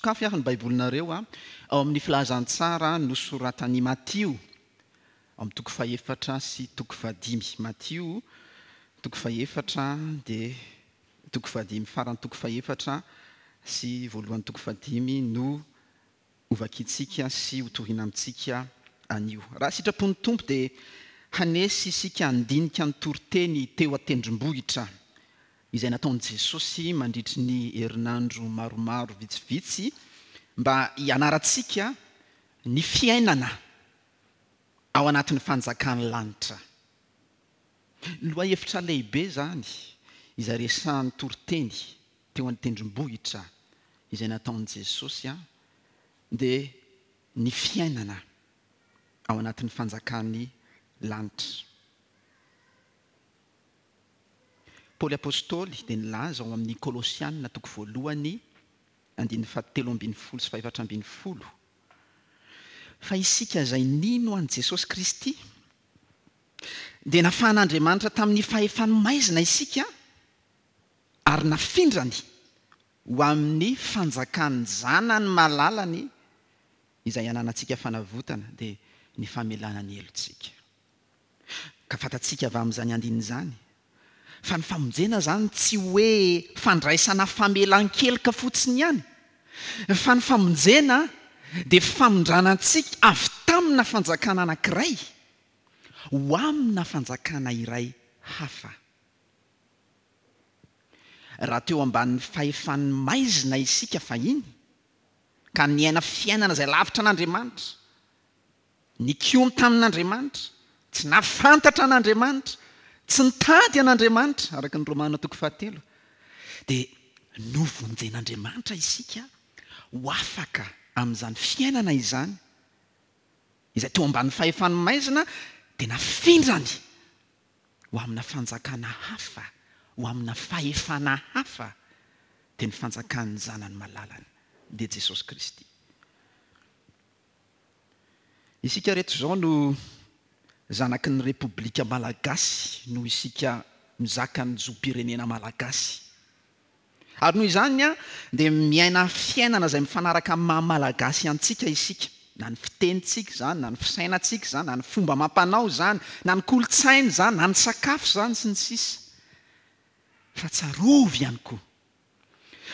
Sokafy ary ny Baibolinareo ao amin'ny Filazantsara nosoratan'i Matio, ao amin'ny toko fahefatra sy toko fahadimy. Matio, toko fahefatra dia toko fahadimy, faran'ny toko fahefatra sy voalohan'ny toko fahadimy no hovakintsika sy hotorina amintsika anio. Raha sitrapon'ny Tompo dia hanesy isika handinika ny toriteny teo an-tendrombohitra izay nataon'i Jesosy mandritry ny herinandro maromaro vitsivitsy mba hianarantsika ny fiainana ao anatin'ny fanjakan'ny lanitra. Lohahevitra lehibe izany izay resahan'ny toriteny teo an-tendrombohitra izay nataon'i Jesosy dia ny fiainana ao anatin'ny fanjakan'ny lanitra. Paoly Apostoly dia nilaza ao amin'ny Kolosiana toko voalohany andininy fahatelo ambin'ny folo sy fahefatra ambin'ny folo fa isika izay nino an'i Jesosy Kristy dia nafahan'Andriamanitra tamin'ny fahefan'ny maizina isika ary nafindrany ho amin'ny fanjakan'ny Zanany malalany izay ananantsika fanavotana, dia ny famelana ny helotsika. Ka fantatsika avy amin'izany andininy izany fa ny famonjena izany tsy hoe fandraisana famelan-keloka fotsiny ihany, fa ny famonjena dia famindrana antsika avy tamina fanjakana anankiray ho amina fanjakana iray hafa. Raha teo ambanin'ny fahefan'ny maizina isika fahiny, ka niaina fiainana izay lavitra an'Andriamanitra, nikomy tamin'Andriamanitra, tsy nahafantatra an'Andriamanitra, tsy nitady an'Andriamanitra, araka ny Romana toko fahatelo, dia novonjen'Andriamanitra isika ho afaka amin'izany fiainana izany, izay teo ambanin'ny fahefan'ny maizina, dia nafindrany ho amina fanjakana hafa, ho amina fahefana hafa, dia ny fanjakan'ny Zanany malalany, dia Jesosy Kristy. Isika reto izao no zanaky ny Repoblika Malagasy noho isika mizaka ny zom-pirenena malagasy. Ary noho izany dia miaina fiainana izay mifanaraka amin'ny maha Malagasy antsika isika. Na ny fitenintsika izany, na ny fisainantsika izany, na ny fomba amam-panao izany, na ny kolontsaina izany, na ny sakafo izany, sy ny sisa Fa tsarovy ihany koa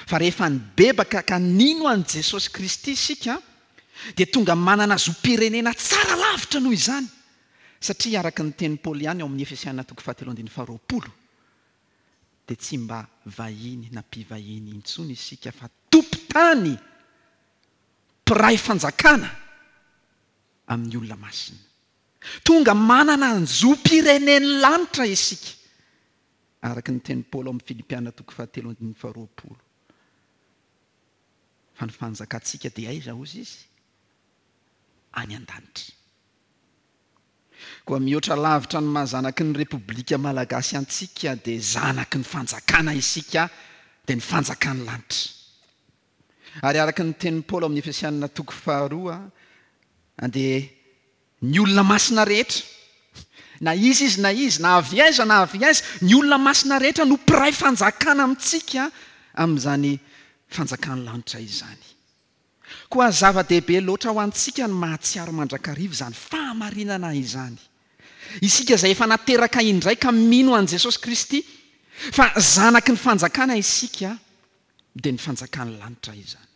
fa rehefa nibebaka ka nino an'i Jesosy Kristy isika dia tonga manana zom-pirenena tsara lavitra noho izany, satria araka ny tenin'i Paoly ihany ao amin'ny Efesiana toko fahatelo andininy faharoapolo, dia tsy mba vahiny na mpivahiny intsony isika fa tompon-tany, mpiray fanjakana amin'ny olona masina. Tonga manana ny zom-pirenen'ny lanitra isika, araka ny tenin'i Paoly ao amin'ny Filipiana toko fahatelo andininy faharoapolo. Fa ny fanjakantsika dia aiza hozy izy? Any an-danitra. Koa mihoatra lavitra ny maha zanaky ny Repoblika Malagasy antsika dia zanaky ny fanjakana isika dia ny fanjakan'ny lanitra. Ary araka ny tenin'i Paoly ao amin'ny Efesianina toko faharoa dia ny olona masina rehetra, na iza izy na iza, na avy aiza na avy aiza, ny olona masina rehetra no mpiray fanjakana amintsika amin'izany fanjakan'ny lanitra izany. Koa zava-dehibe loatra ho antsika ny mahatsiaro mandrakariva izany fahamarinana izany. Isika izay efa nateraka indray ka mino an'i Jesosy Kristy fa zanaky ny fanjakana isika, dia ny fanjakan'ny lanitra izany.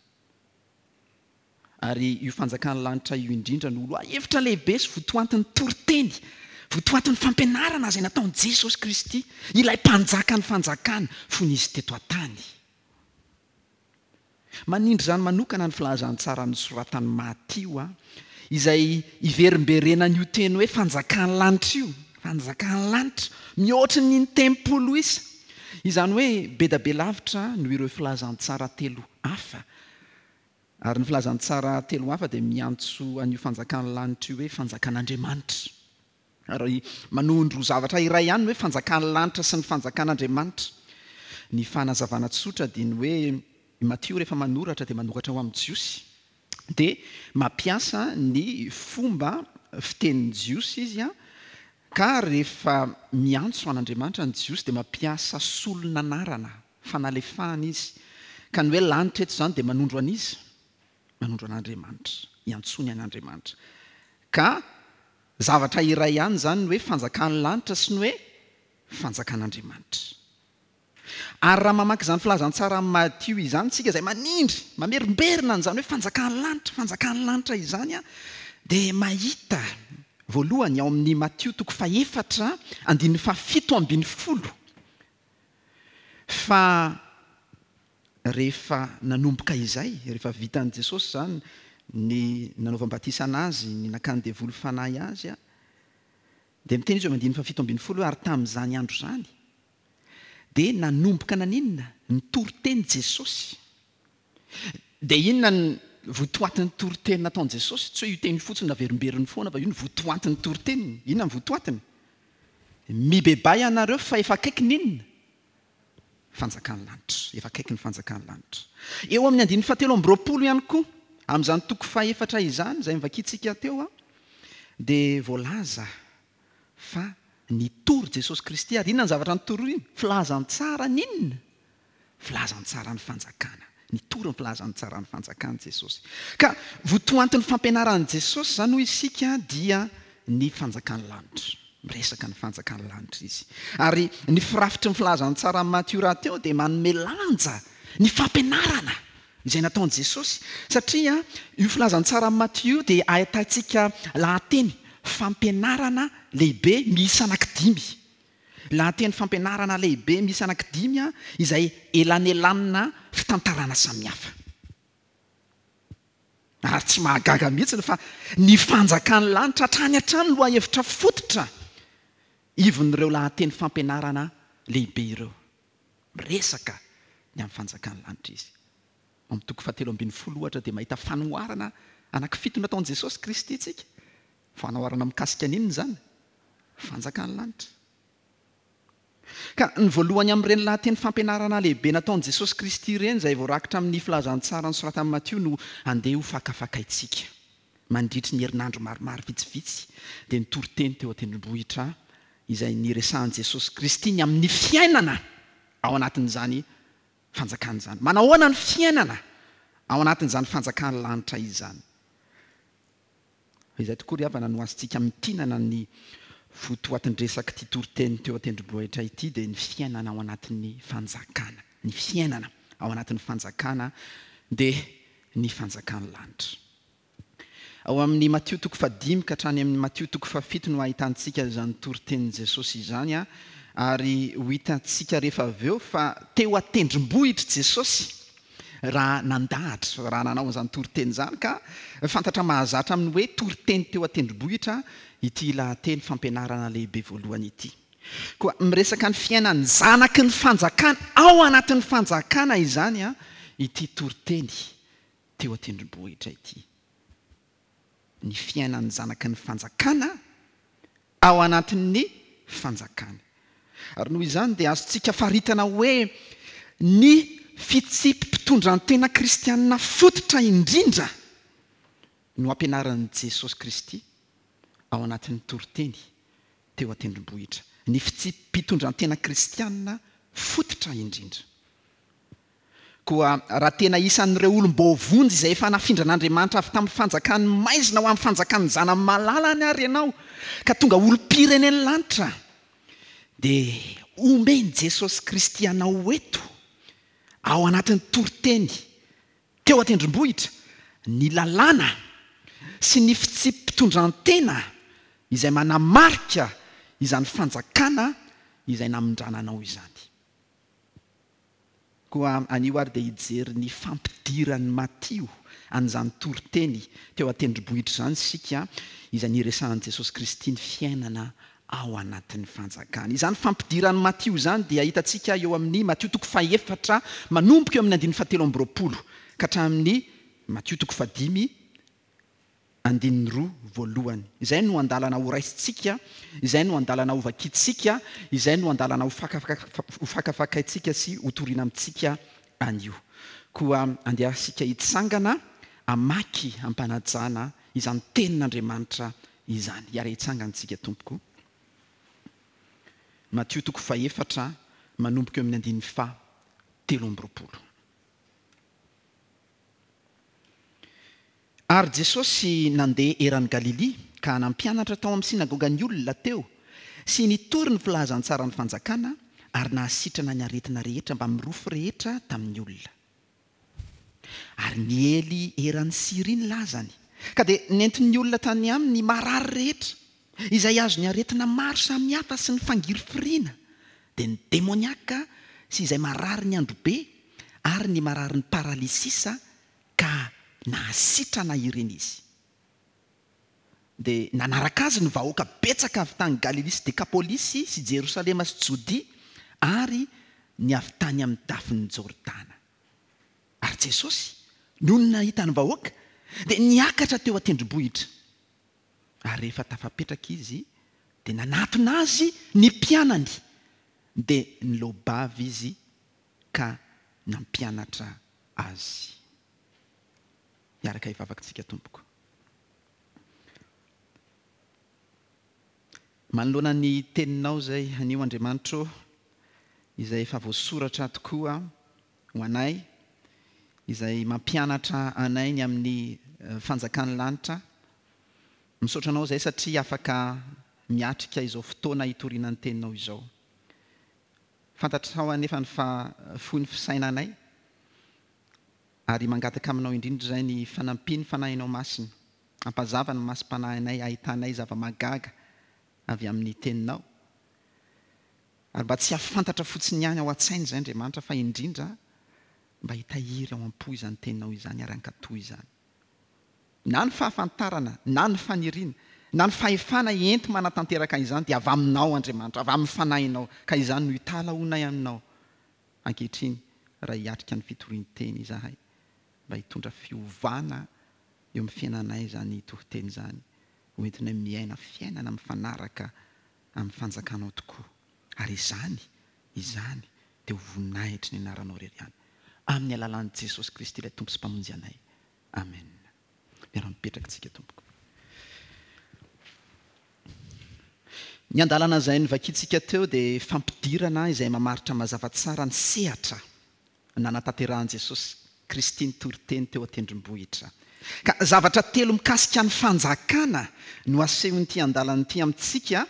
Ary io fanjakan'ny lanitra io indrindra no lohahevitra lehibe sy votoantin'ny toriteny, votoantin'ny fampianarana izay nataon'i Jesosy Kristy, ilay Mpanjakan'ny fanjakana, fony Izy teto an-tany. Manindry izany manokana ny filazantsara nosoratan'i Matio, izay iverimberenan'io teny hoe fanjakan'ny lanitra io, fanjakan'ny lanitra, mihoatry ny in-telopolo isa. Izany hoe be da be lavitra noho ireo filazantsara telo hafa. Ary ny filazantsara telo hafa dia miantso an'io fanjakan'ny lanitra io hoe fanjakan'Andriamanitra. Ary manondro zavatra iray ihany ny hoe fanjakan'ny lanitra sy ny fanjakan'Andriamanitra. Ny fanazavana tsotra dia ny hoe i Matio rehefa manoratra dia manoratra ho amin'ny Jiosy. Dia mampiasa ny fomba fitenin'ny Jiosy izy ka rehefa miantso an'Andriamanitra ny Jiosy dia mampiasa solon'anarana, fanalefahana izy. Ka ny hoe lanitra eto izany dia manondro an'iza? Manondro an'Andriamanitra. Iantsoany an'Andriamanitra. Ka zavatra iray ihany izany ny hoe fanjakan'ny lanitra sy ny hoe fanjakan'Andriamanitra. Ary raha mamaky izany filazantsaran'i Matio izany isika izay manindry, mamerimberina an'izany hoe fanjakan'ny lanitra, fanjakan'ny lanitra izany, dia mahita voalohany ao amin'ny Matio toko fahefatra andininy fahafito ambin'ny folo fa rehefa nanomboka izay, rehefa vitan'i Jesosy izany ny nanaovam-batisa an'Azy, ny nakan'ny devoly fanahy Azy, dia miteny Izy eo amin'ny andininy fahafito ambin'ny folo hoe ary tamin'izany andro izany, Dia nanomboka naninona? Nitory teny Jesosy. Dia inona ny votoatin'ny toriteny nataon'i Jesosy? Tsy hoe io teny io fotsiny naverimberiny foana fa io no votoantin'ny toriteniny. Inona ny votoatiny? Mibebaha ianareo fa efa akaiky ny inona? Fanjakan'ny lanitra. Efa akaiky ny fanjakan'ny lanitra. Eo amin'ny andininy fahatelo amby roapolo ihany koa, amin'izany toko fahefatra izany, izay novakintsika teo, dia voalaza fa nitory Jesosy Kristy ary inona ny zavatra nitoriny? Filazantsara ny inona? Filazantsara ny fanjakana. Nitory ny filazantsara ny fanjakana Jesosy. Ka votoantin'ny fampianaran'i Jesosy izany hoy isika dia ny fanjakan'ny lanitra. Miresaka ny fanjakan'ny lanitra izy. Ary ny firafitry ny filazantsaran'i Matio rahateo dia manome lanja ny fampianarana izay nataon'i Jesosy, satria io filazantsaran'i Matio io dia ahitantsika lahateny fampianarana lehibe miisa anankidimy. Lahateny fampianarana lehibe miisa anankidimy izay elanelanina fitantarana samihafa. Ary tsy mahagaga mihitsy fa ny fanjakan'ny lanitra hatrany hatrany lohahevitra fototra ivon'ireo lahateny fampianarana lehibe ireo. Miresaka ny amin'ny fanjakan'ny lanitra izy. Ao amin'ny toko fahatelo ambin'ny folo, ohatra, dia mahita fanoharana anankifito nataon'i Jesosy Kristy isika. Fanoharana mikasika ny inona izany? Fanjakan'ny lanitra. Ka ny voalohany amin'ireny lahateny fampianarana lehibe nataon'i Jesosy Kristy ireny, izay voarakitra amin'ny Filazantsara nosoratan'i Matio, no andeha hofakafakaintsika. Mandritry ny herinandro maromaro vitsivitsy, dia nitory teny teo an-tendrombohitra izay niresahan'i Jesosy Kristy ny amin'ny fiainana ao anatin'izany fanjakana izany. Manahoana ny fiainana ao anatin'izany fanjakan'ny lanitra izany? Izay tokoa ry havana no azontsika amintinana ny votoatin-dresak'ity toriteny teo an-tendrombohitra ity dia ny fiainana ao anatin'ny fanjakana. Ny fiainana ao anatin'ny fanjakana dia ny fanjakan'ny lanitra. Ao amin'ny Matio toko fahadimy ka hatrany amin'ny Matio toko fahafito no ahitantsika izany toritenin'i Jesosy izany, ary ho hitantsika rehefa avy eo fa teo an-tendrombohitra Jesosy raha nandahatra, raha nanao an'izany toriteny izany, ka fantatra mahazatra amin'ny hoe toriteny teo an-tendrombohitra ity lahateny fampianarana lehibe voalohany ity. Koa miresaka ny fiainan'ny zanaky ny fanjakana ao anatin'ny fanjakana izany ity toriteny teo an-tendrombohitra ity. Ny fiainan'ny zanaky ny fanjakana ao anatin'ny fanjakany. Ary noho izany dia azontsika faritana hoe ny fitsipi-pitondran-tena kristianina fototra indrindra no ampianarin'i Jesosy Kristy ao anatin'ny toriteny teo an-tendrombohitra. Ny fitsipi-pitondran-tena kristianina fototra indrindra. Koa raha tena isan'ireo olom-boavonjy izay efa nafindran'Andriamanitra avy tamin'ny fanjakan'ny maizina ho amin'ny fanjakan'ny Zanany malalany àry ianao, ka tonga olom-pirenen'ny lanitra, dia omen'i Jesosy Kristy anao eto, ao anatin'ny toriteny teo an-tendrombohitra, ny lalàna sy ny fitsipi-pitondran-tena izay manamarika izany fanjakana izay namindrana anao izany. Koa anio ary dia hijery ny fampidiran'i Matio an'izany toriteny teo an-tendrombohitra izany isika, izay niresahan'i Jesosy Kristy ny fiainana ao anatin'ny fanjakany. Izany fampidiran'i Matio izany dia hitantsika eo amin'ny Matio toko fahefatra manomboka eo amin'ny andininy fahatelo amby roapolo ka hatramin'ny Matio toko fahadimy Andininy roa voalohany. Izay no andalana horaisintsika, izay no andalana hovakintsika, izay no andalana hofakafakaintsika sy hotorina amintsika anio. Koa andeha isika hitsangana hamaky am-panajana izany Tenin'Andriamanitra izany. Hiara-hitsangana isika tompoko. Matio toko fahefatra manomboka eo amin'ny andininy faha 23. Ary Jesosy nandeha eran'i Galilia ka nampianatra tao amin'ny synagogan'ny olona teo sy nitory ny filazantsaran'ny fanjakana ary nahasitrana ny aretina rehetra mbamin'ny rofy rehetra tamin'ny olona. Ary niely eran'i Syria ny lazany, ka dia nentin'ny olona tany aminy ny marary rehetra, izay azon'ny aretina maro samihafa sy ny fangirifiriana, dia ny demoniaka sy izay mararin'ny androbe ary ny mararin'ny paralysisa, ka nahasitrana ireny izy. Dia nanaraka azy ny vahoaka betsaka avy tany Galilia sy Dekapolisy sy Jerosalema sy Jodia ary ny avy tany amin'ny dafin'i Jordana. Ary Jesosy, nony nahita ny vahoaka, dia niakatra teo an-tendrombohitra. Ary rehefa tafapetraka izy, dia nanatona azy ny mpianany, dia niloa-bava izy ka nampianatra azy. Hiaraka hivavaka tsika tompoko. Manoloana ny teninao izay anio Andriamanitro ô, izay efa voasoratra tokoa ho anay, izay mampianatra anay ny amin'ny fanjakan'ny lanitra, misaotra anao izay satria afaka miatrika izao fotoana hitoriana ny teninao izao. Fantatrao anefa ny fa fohy ny fisainanay, Ary mangataka aminao indrindra izay ny fanampian'ny Fanahinao Masina, hampazava ny masom-panahinay hahitanay zava-mahagaga avy amin'ny Teninao. Ary mba tsy hahafantatra fotsiny ihany ao an-tsaina izay Andriamanitra fa indrindra mba hitahiry ao am-po izany Teninao izany ary hankatò izany. Na ny fahafantarana, na ny faniriana, na ny fahefana enti-manatanteraka izany dia avy Aminao Andriamanitra, avy amin'ny Fanahinao, ka izany no italahoanay Aminao. Ankehitriny, raha hiatrika ny fitorian-teny izahay, mba hitondra fiovana eo amin'ny fiainanay izany toriteny izany, ho entinay miaina fiainana mifanaraka amin'ny fanjakanao tokoa. Ary izany, izany dia ho voninahitry ny anaranao irery ihany. Amin'ny alalan'i Jesosy Kristy ilay Tompo sy Mpamonjy anay. Amen. Miara-mipetraka tsika tompoko. Ny andalana izay novakintsika teo dia fampidirana izay mamaritra mazava tsara ny sehatra nanatanterahan'i Jesosy Kristy ny toriteny teo an-tendrombohitra. Ka zavatra telo mikasika ny fanjakana no asehon'ity andalana ity amintsika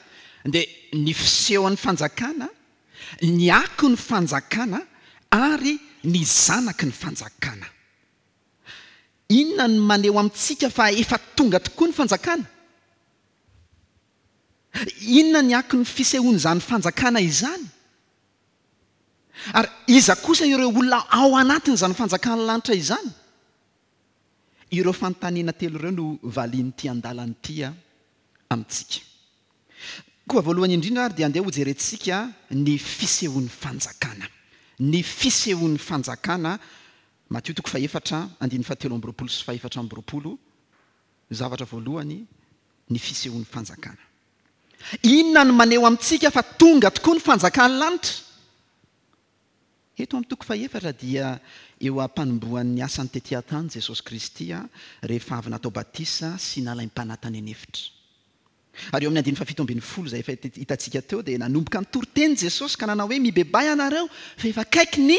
dia ny fisehon'ny fanjakana, ny akon'ny fanjakana ary ny zanaky ny fanjakana. Inona no maneho amintsika fa efa tonga tokoa ny fanjakana? Inona ny akon'ny fisehoan'izany fanjakana izany? Ary iza kosa ireo olona ao anatin'izany fanjakan'ny lanitra izany? Ireo fanontaniana telo ireo no valian'ity andalana ity amintsika. Koa voalohany indrindra ary dia andeha hojerentsika ny fisehoan'ny fanjakana. Ny fisehoan'ny fanjakana, Matio toko fahefatra, andininy fahatelo amby 20 sy fahefatra amby 20, zavatra voalohany, ny fisehoan'ny fanjakana. Inona no maneho amintsika fa tonga tokoa ny fanjakan'ny lanitra? Eto amin'ny toko fahefatra dia eo am-panombohan'ny asany tety an-tany Jesosy Kristy rehefa avy natao batisa sy nalaim-panahy tany an'efitra. Ary eo amin'ny andininy faha-17 izay efa hitantsika teo dia nanomboka nitory teny Jesosy ka nanao hoe, Mibebaha ianareo fa efa akaiky ny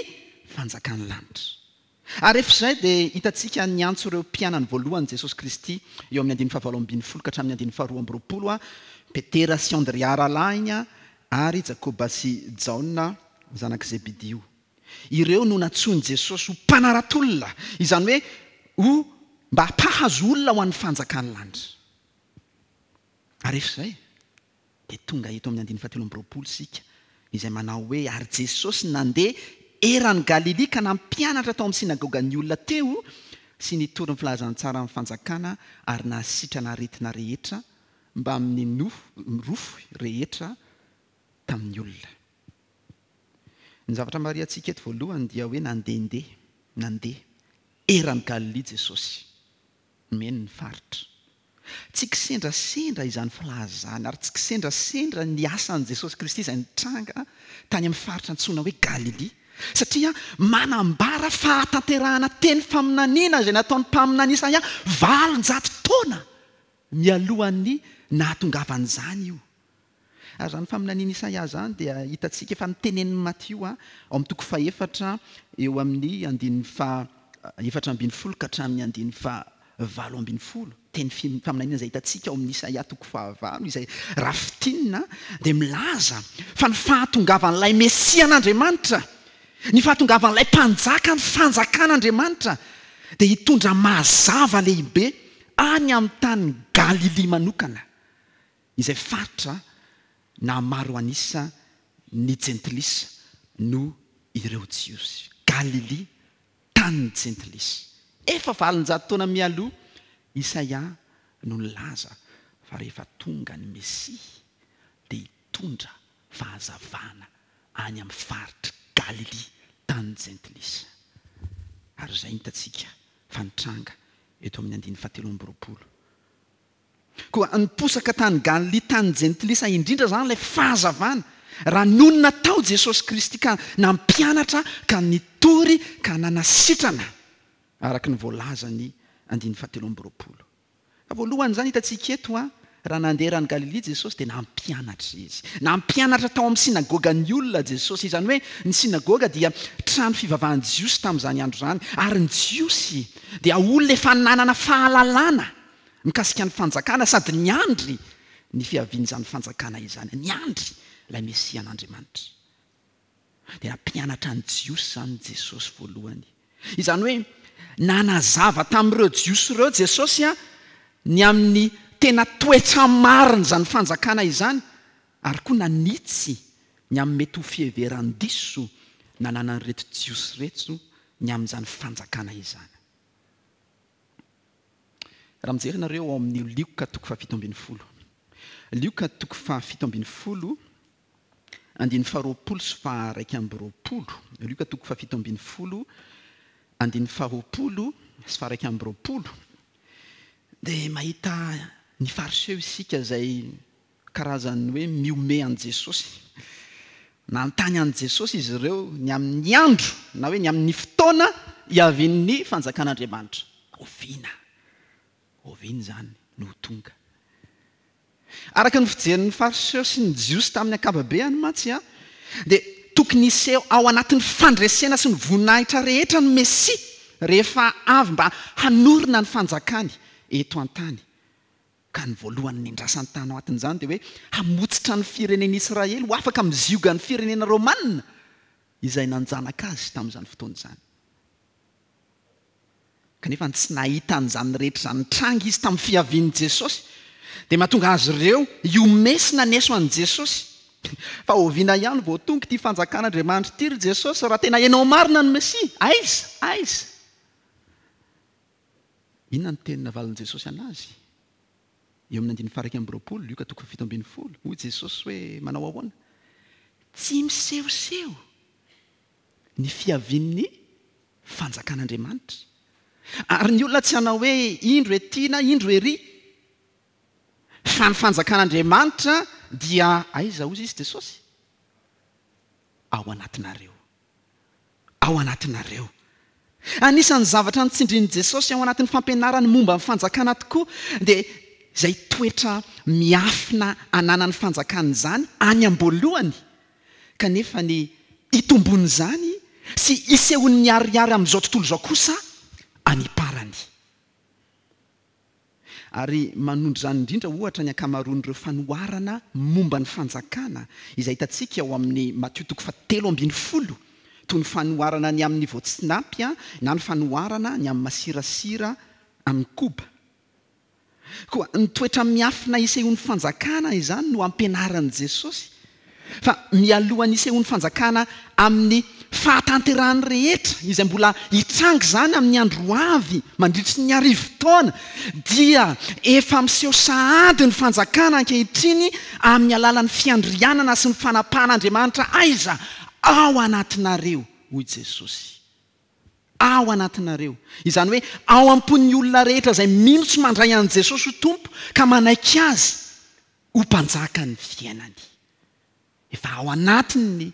fanjakan'ny lanitra. Ary rehefa izay dia hitantsika niantso ireo mpianany voalohany Jesosy Kristy eo amin'ny andininy faha-18 ka hatramin'ny andininy faha-22, Petera sy Andrea rahalahiny ary Jakoba sy Jaona zanak'i Zebedio. Ireo no nantsoin'i Jesosy ho mpanara-tolona, izany hoe ho mba mpahazo olona ho an'ny fanjakan'ny lanitra. Ary rehefa izay, dia tonga eto amin'ny andininy fahatelo amby 20 isika, izay manao hoe, Ary Jesosy nandeha eran'i Galilia ka nampianatra tao amin'ny synagogan'ny olona teo sy nitory ny filazantsaran'ny fanjakana ary nahasitrana aretina rehetra mbamin'ny nofo rofy rehetra tamin'ny olona. Ny zavatra marihantsika eto voalohany dia hoe nandehandeha, nandeha, eran'i Galilia Jesosy. Nomeny ny faritra. Tsy kisendrasendra izany filazana ary tsy kisendrasendra ny asan'i Jesosy Kristy izay nitranga tany amin'ny faritra antsoina hoe Galilia, satria manambara fahatanterahana teny faminaniana izay nataon'ny mpaminany Isaia 800 taona mialohan'ny nahatongavan'izany io. Ary izany faminanian'i Isaia izany dia hitantsika efa notenenin'i Matio ao amin'ny toko fahefatra eo amin'ny andininy faha 14 ka hatramin'ny andininy faha. 18, teny faminaniana izay hitantsika ao amin'ny Isaia toko fahavalo, izay raha fintinina dia milaza fa ny fahatongavan'ilay Mesian'Andriamanitra, ny fahatongavan'ilay Mpanjaka ny fanjakan'Andriamanitra dia hitondra mazava lehibe any amin'ny tany Galilia manokana, izay faritra naha maro an'isa ny Jentilisa noho ireo Jiosy. Galilia, tanin'ny Jentilisa. Efa 800 taona mialoha, Isaia no nilaza fa rehefa tonga ny Mesia dia hitondra fahazavana any amin'ny faritr'i Galilia, tanin'ny Jentilisa. Ary izay no hitantsika fa nitranga eto amin'ny andininy fahatelo amby 20. Koa niposaka tany Galilia tany Jentilisa indrindra izany ilay fahazavana, raha nonina tao Jesosy Kristy ka nampianatra ka nitory ka nanasitrana, araka ny voalazan'ny andininy fahatelo amby 20. Fa voalohany izany hitantsika eto an, raha nandeha eran'i Galilia Jesosy dia nampianatra Izy. Nampianatra tao amin'ny synagoga ny olona Jesosy. Izany hoe ny synagoga dia trano fivavahan'ny Jiosy tamin'izany andro izany. Ary ny Jiosy dia olona efa nanana fahalalana mikasika ny fanjakana sady niandry ny fiavian'izany fanjakana izany, niandry ilay Mesian'Andriamanitra. Dia nampianatra ny Jiosy izany Jesosy voalohany. Izany hoe nanazava tamin'ireo Jiosy ireo Jesosy ny amin'ny tena toetra marin'izany fanjakana izany ary koa nanitsy ny amin'ny mety ho fiheveran-diso nananan'ireto Jiosy ireto ny amin'izany fanjakana izany. Raha mijery nareo ao amin'ny Lioka toko faha-17. Lioka toko faha-17, andininy faha-20 sy faha-21. Lioka toko faha-17, andininy faha-20 sy faha-21. Dia mahita ny Fariseo isika izay karazan'ny hoe mihomehy an'i Jesosy. Nanontany an'i Jesosy izy ireo ny amin'ny andro na hoe ny amin'ny fotoana hiavian'ny fanjakan'Andriamanitra. Oviana? Oviana izany no ho tonga? Araka ny fijerin'ny Fariseo sy ny Jiosy tamin'ny ankababeany mantsy, dia tokony hiseho ao anatin'ny fandresena sy ny voninahitra rehetra ny Mesia rehefa avy mba hanorina ny fanjakany eto an-tany. Ka ny voalohany nendrasany tany anatin'izany dia hoe hamotsitra ny firenen'Israely ho afaka amin'ny ziogan'ny firenena Romana izay nanjanaka azy tamin'izany fotoana izany. Kanefa tsy nahita an'izany rehetra izany nitranga izy tamin'ny fiavian'i Jesosy. Dia mahatonga azy ireo hihomehy sy naneso an'i Jesosy. Fa oviana ihany vao tonga ity fanjakan'Andriamanitra ity ry Jesosy raha tena ianao marina no Mesia? Aiza? Aiza? Inona no teny navalin'i Jesosy an'azy? Eo amin'ny andininy faha-21, Lioka toko faha-17, hoy Jesosy hoe manao ahoana? Tsy misehoseho ny fiavian'ny fanjakan'Andriamanitra. Ary ny olona tsy hanao hoe indro ety na indro ery, fa ny fanjakan'Andriamanitra dia aiza hozy izy Jesosy? Ao anatinareo. ao anatinareo. Anisan'ny zavatra notsindrin'i Jesosy ao anatin'ny fampianarany momba ny fanjakana tokoa dia izay toetra miafina ananan'ny fanjakana izany any am-boalohany, kanefa ny hitomboan'izany sy hisehoany miharihary amin'izao tontolo izao kosa any am-parany. Ary manondro izany indrindra, ohatra, ny ankamaroan'ireo fanoharana momba ny Fanjakana izay hitantsika ao amin'ny Matio toko fahatelo ambin'ny folo, toy ny fanoharana ny amin'ny voatsinapy na ny fanoharana ny amin'ny masirasira amin'ny koba. Koa ny toetra miafina isehoan'ny Fanjakana izany no ampianaran'i Jesosy. Fa mialohan'ny hisehoan'ny fanjakana amin'ny fahatanterahany rehetra, izay mbola hitranga izany amin'ny andro ho avy mandritry ny arivotaona, dia efa miseho sahady ny fanjakana ankehitriny amin'ny alalan'ny fiandrianana sy ny fanapahan'Andriamanitra aiza? Ao anatinareo, hoy Jesosy. Ao anatinareo. Izany hoe ao am-pon'ny olona rehetra izay mino sy mandray an'i Jesosy ho Tompo ka manaiky Azy ho mpanjakan'ny fiainany. Efa ao anatin'ny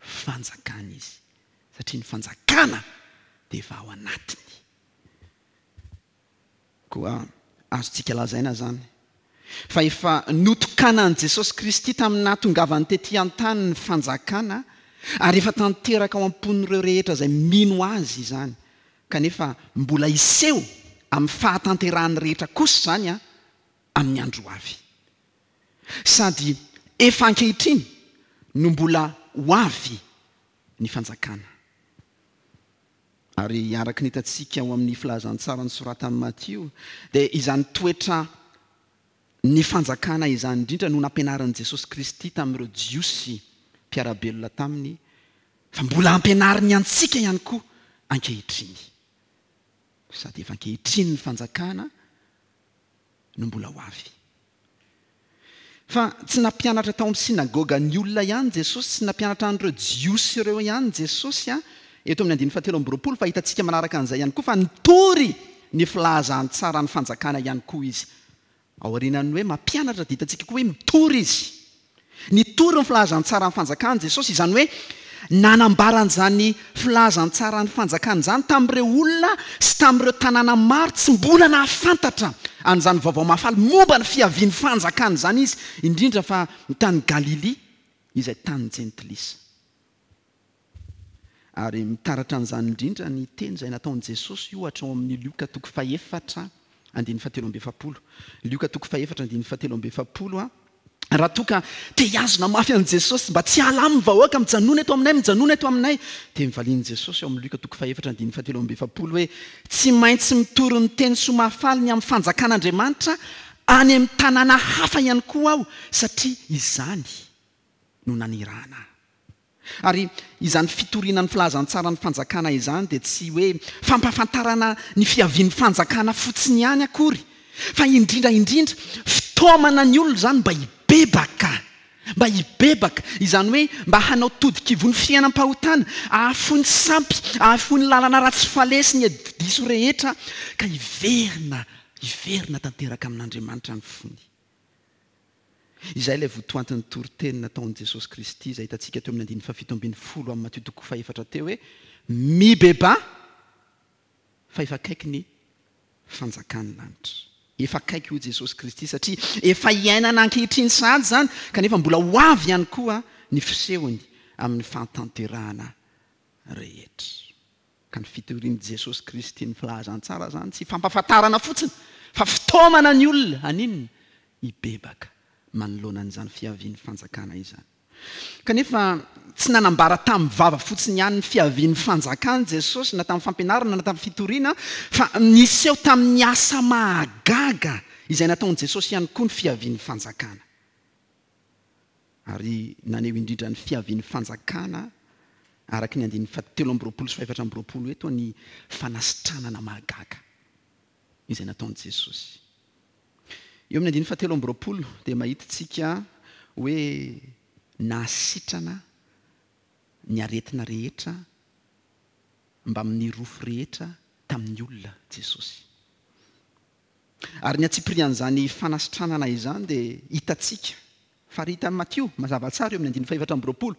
fanjakana izy, satria ny fanjakana dia efa ao anatiny. Koa azontsika lazaina izany fa efa notokanan'i Jesosy Kristy tamin'ny nahatongavany tetỳ an-tany ny fanjakana, ary efa tanteraka ao am-pon'ireo rehetra izay mino Azy izany, kanefa mbola hiseho. Amin'ny fahatanterahany rehetra kosa izany amin'ny andro ho avy. Sady efa ankehitriny no mbola ho avy ny fanjakana. Ary araka ny hitantsika ao amin'ny filazantsara nosoratan'i Matio dia izany toetra ny fanjakana izany indrindra no nampianarin'i Jesosy Kristy tamin'ireo Jiosy mpiara-belona taminy fa mbola ampianariny antsika ihany koa ankehitriny. Sady efa ankehitriny ny fanjakana no mbola ho avy. Fa tsy nampianatra tao amin'ny synagoga ny olona ihany Jesosy, tsy nampianatra an'ireo Jiosy ireo ihany Jesosy eto amin'ny andininy fahatelo amby 20, fa hitantsika manaraka an'izay ihany koa fa nitory ny filazantsaran'ny fanjakana ihany koa Izy. Aorianan'ny hoe mampianatra dia hitantsika koa hoe mitory Izy. Nitory ny filazantsaran'ny fanjakana Jesosy, izany hoe nanambara an'izany filazantsaran'ny fanjakana izany tamin'ireo olona sy tamin'ireo tanàna maro tsy mbola nahafantatra an'izany vaovao mahafaly momba ny fiavian'ny fanjakana izany izy, indrindra fa ny tany Galilia izay tanin'ny Jentilisa. Ary mitaratra an'izany indrindra ny teny izay nataon'i Jesosy, ohatra, ao amin'ny Lioka toko fahefatra andininy fahatelo amby 40. Lioka toko fahefatra andininy fahatelo amby 40, Raha toa ka te hihazona mafy an'i Jesosy mba tsy hiala aminy ny vahoaka, mijanona eto aminay, mijanona eto aminay, dia nivalian'i Jesosy ao amin'ny Lioka toko fahefatra andininy fahatelo amby 40 hoe, Tsy maintsy mitory ny teny soa mahafaly ny amin'ny fanjakan'Andriamanitra any amin'ny tanàna hafa ihany koa aho, satria izany no nanirahana ahy. Ary izany fitoriana ny filazantsaran'ny fanjakana izany dia tsy hoe fampahafantarana ny fiavian'ny fanjakana fotsiny ihany akory, fa indrindra indrindra fitaomana ny olona izany mba hibebaka, mba hibebaka, izany hoe mba hanao todikivon'ny fiainam-pahotana, hahafoy ny sampy, hahafoy ny lalana ratsy faleha sy ny hevi-diso rehetra, ka hiverina, hiverina tanteraka amin'Andriamanitra ny fony. Izay ilay votoantin'ny toriteny nataon'i Jesosy Kristy izay hitantsika teo amin'ny andininy fahafito ambin'ny folo amin'ny Matio toko fahefatra teo hoe, Mibebaha fa efa akaiky ny fanjakan'ny lanitra. Efa akaiky hoy Jesosy Kristy satria efa iainana ankehitriny sahady izany kanefa mbola ho avy ihany koa ny fisehony amin'ny fahatanterahana rehetra. Ka ny fitorian'i Jesosy Kristy ny filazantsara izany tsy fampahafantarana fotsiny fa fitaomana ny olona haninona? Hibebaka manoloana an'izany fiavian'ny fanjakana izany. Kanefa tsy nanambara tamin'ny vava fotsiny ihany ny fiavian'ny fanjakana Jesosy na tamin'ny fampianarana na tamin'ny fitoriana fa niseho tamin'ny asa mahagaga izay nataon'i Jesosy ihany koa ny fiavian'ny fanjakana. Ary naneho indrindra ny fiavian'ny fanjakana araka ny andininy fahatelo amby 20 sy fahefatra amby 20 eto ny fanasitranana mahagaga izay nataon'i Jesosy. Eo amin'ny andininy fahatelo amby 20 dia mahita isika hoe nahasitrana ny aretina rehetra mbamin'ny rofy rehetra tamin'ny olona Jesosy. Ary ny antsipirian'izany fanasitranana izany dia hitantsika, faritan'i Matio mazava tsara eo amin'ny andininy fahefatra amby 20,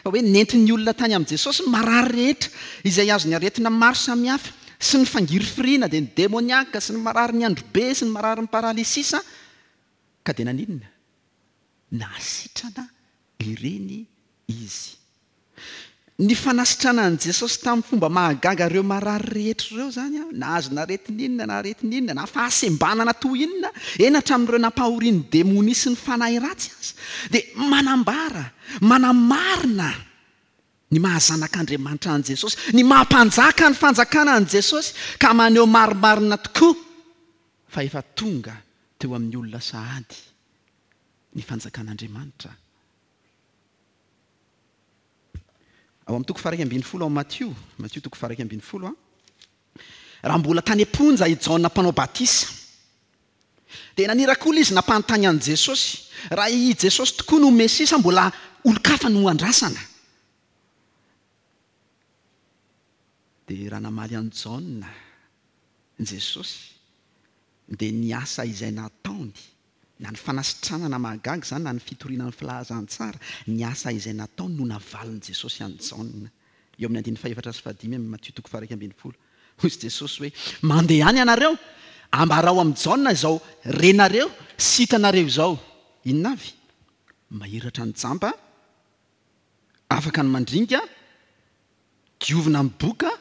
fa hoe nentin'ny olona tany amin'i Jesosy ny marary rehetra izay azon'ny aretina maro samihafa, sy ny fangirifiriana, dia ny demoniaka, sy ny mararin'ny androbe, sy ny mararin'ny paralysisa, ka dia naninona? Nahasitrana ireny Izy. Ny fanasitranan'i Jesosy tamin'ny fomba mahagaga ireo marary rehetra ireo izany, na azona aretina inona na aretina inona, na fahasembanana toy inona, eny hatramin'ireo nampahorian'ny demonia sy ny fanahy ratsy aza, dia manambara, manamarina ny maha Zanak'Andriamanitra an'i Jesosy, ny maha Mpanjaka ny fanjakana an'i Jesosy, ka maneho marimarina tokoa fa efa tonga teo amin'ny olona sahady ny fanjakan'Andriamanitra. Ao amin'ny toko faha-11 ao Matio, Matio toko faha-11 a, raha mbola tany am-ponja i Jaona mpanao batisa, dia naniraka olona izy nampanontany an'i Jesosy raha i Jesosy tokoa no Mesia sa mbola olon-kafa no andrasana. Dia raha namaly an'i Jaona Jesosy, dia ny asa izay nataony Na ny fanasitranana mahagaga izany na ny fitoriana ny filazantsara, ny asa izay nataony no navalin'i Jesosy an'i Jaona. Eo amin'ny andininy fahefatra sy fahadimy amin'ny Matio toko faha-11. Hoy Jesosy hoe, Mandehana ianareo, ambarao amin'i Jaona izao renareo sy hitanareo izao. Inona avy? Mahiratra ny jamba, afaka ny mandringa, diovina ny boka,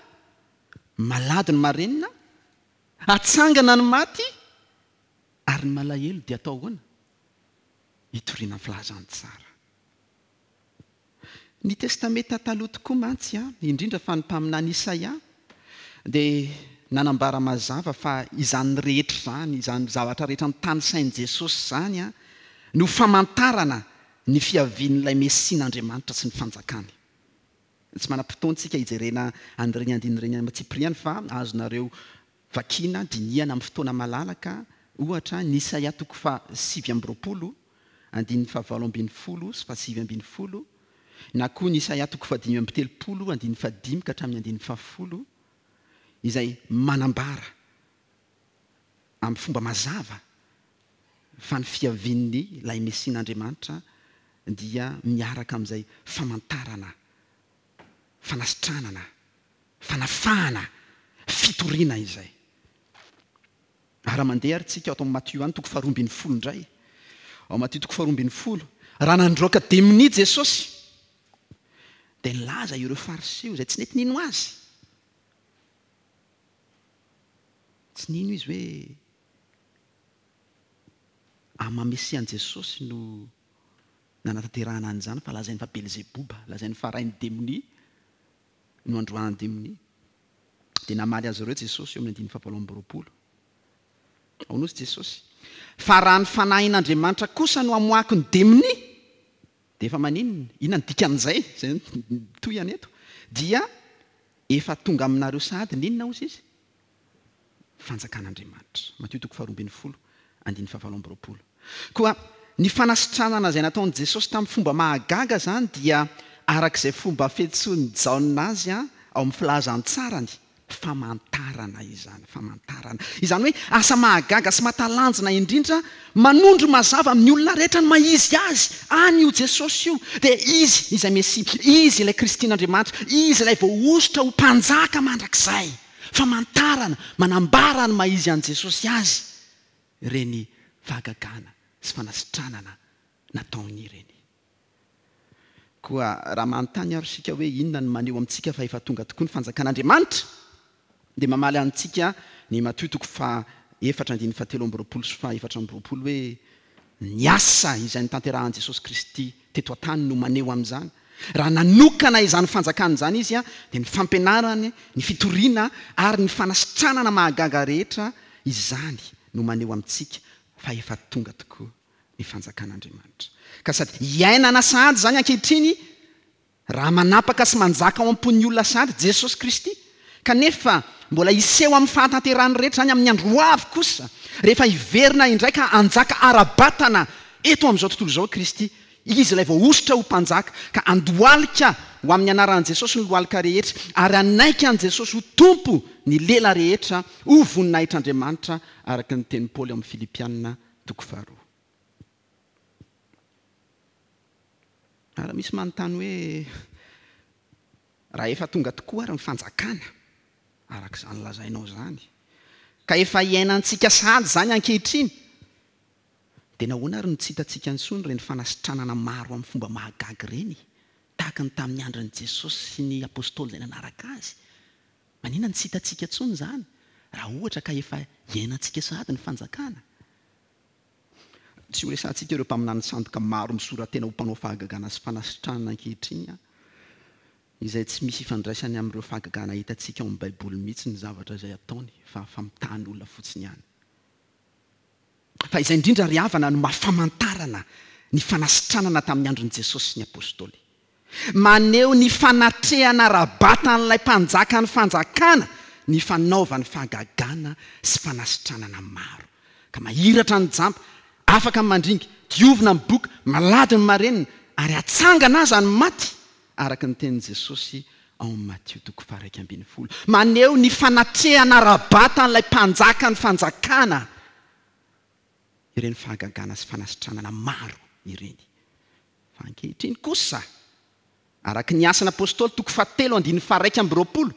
malady ny marenina, Atsangana ny maty ary ny malahelo dia atao ahoana? Hitoriana ny filazantsara. Ny Testamenta Taloha tokoa mantsy, indrindra fa ny mpaminany Isaia, dia nanambara mazava fa izany rehetra izany, izany zavatra rehetra notanisain'i Jesosy izany, no famantarana ny fiavian'ilay Mesian'Andriamanitra sy ny Fanjakany. Tsy manam-potoana isika hijerena an'ireny andininy ireny amin'ny antsipiriany fa azonareo Vakina, dinihana amin'ny fotoana malalaka, ohatra, ny Isaia toko faha 29, andininy faha 18 sy faha 19, na koa ny Isaia toko faha 35, andininy faha dimy ka hatramin'ny andininy faha folo, izay manambara amin'ny fomba mazava fa ny fiavian'ny ilay Mesian'Andriamanitra dia miaraka amin'izay famantarana, fanasitranana, Fanafahana, fitoriana izay. Ary raha mandeha ary tsika ato amin'ny Matio any toko faharoa 12 indray, ao Matio toko faharoa 12, raha nandroaka demonia Jesosy, dia nilaza ireo Fariseo izay tsy nety nino Azy. Tsy nino izy hoe amin'ny maha Mesia an'i Jesosy no nanatanterahana an'izany fa lazainy fa Belzeboba, lazainy fa rain'ny demonia. no androahany demonia. Dia namaly azy ireo Jesosy eo amin'ny andininy fahavalo amby 20. Ao nosy Jesosy, Fa raha ny Fanahin'Andriamanitra kosa no amoahako ny demonia, dia efa maninona? Inona no dikan'izay? Izay no tohiny eto. Dia efa tonga aminareo sahady ny inona hozy izy? Fanjakan'Andriamanitra. Matio toko faharoa 12, andininy fahavalo amby 20. Koa ny fanasitranana izay nataon'i Jesosy tamin'ny fomba mahagaga izany dia araka izay fomba fiantsoan'i Jaona azy ao amin'ny filazantsarany, famantarana izany, famantarana. Izany hoe asa mahagaga sy mahatalanjona indrindra manondro mazava amin'ny olona rehetra ny maha izy azy any io Jesosy io. Dia Izy izay Mesia, Izy ilay Kristin'Andriamanitra, Izy ilay voahosotra ho Mpanjaka mandrakizay. Famantarana manambara ny maha izy an'i Jesosy azy. ireny fahagagana sy fanasitranana nataony ireny. Koa raha manontany ary isika hoe inona no maneho amintsika fa efa tonga tokoa ny fanjakan'Andriamanitra, dia mamaly antsika ny Matio toko faha efatra andininy faha 23 sy faha 24 hoe ny asa izay notanterahan'i Jesosy Kristy teto an-tany no maneho amin'izany. Raha nanokana izany fanjakana izany Izy dia ny fampianarany, ny fitoriana ary ny fanasitranana mahagaga rehetra izany no maneho amintsika fa efa tonga tokoa ny fanjakan'Andriamanitra. Ka sady iainana sahady izany ankehitriny Raha manapaka sy manjaka ao am-pon'ny olona sahady Jesosy Kristy, kanefa mbola hiseho amin'ny fahatanterahany rehetra izany amin'ny andro ho avy kosa, rehefa hiverina indray ka hanjaka ara-batana eto amin'izao tontolo izao Kristy, Izy ilay voahosotra ho Mpanjaka, ka handohalika ho amin'ny anaran'i Jesosy ny lohalika rehetra, ary hanaiky an'i Jesosy ho Tompo ny lela rehetra, ho voninahitr'Andriamanitra, araka ny tenin'i Paoly ao amin'ny Filipiana toko faharoa. Ary misy manontany hoe, Raha efa tonga tokoa ary ny fanjakana, araka izany lazainao izany, ka efa iainantsika sahady izany ankehitriny, dia nahoana ary no tsy hitantsika intsony ireny fanasitranana maro amin'ny fomba mahagaga ireny, tahaka ny tamin'ny andron'i Jesosy sy ny apostoly izay nanaraka azy? Maninona no tsy hitantsika intsony izany, raha ohatra ka efa iainantsika sahady ny fanjakana? Tsy horesahantsika ireo mpaminany sandoka maro misora-tena ho mpanao fahagagana sy fanasitranana ankehitriny, izay tsy misy ifandraisany amin'ireo fahagagana hitantsika ao amin'ny Baiboly mihitsy ny zavatra izay ataony, fa famitahany olona fotsiny ihany. Fa izay indrindra ry havana no maha famantarana ny fanasitranana tamin'ny andron'i Jesosy sy ny Apostoly. Maneho ny fanatrehana ara-batan'ilay Mpanjakan'ny fanjakana ny fanaovany fahagagana sy fanasitranana maro. Ka mahiratra ny jamba, afaka ny mandringa, diovina ny boka, malady ny marenina, ary atsangana aza ny maty, araka ny tenin'i Jesosy ao amin'ny Matio toko faha-11. Maneho ny fanatrehana ara-batan'ilay Mpanjakan'ny fanjakana ireny fahagagana sy fanasitranana maro ireny. Fa ankehitriny kosa, araka ny Asan'ny Apostoly toko fahatelo andininy faha-21,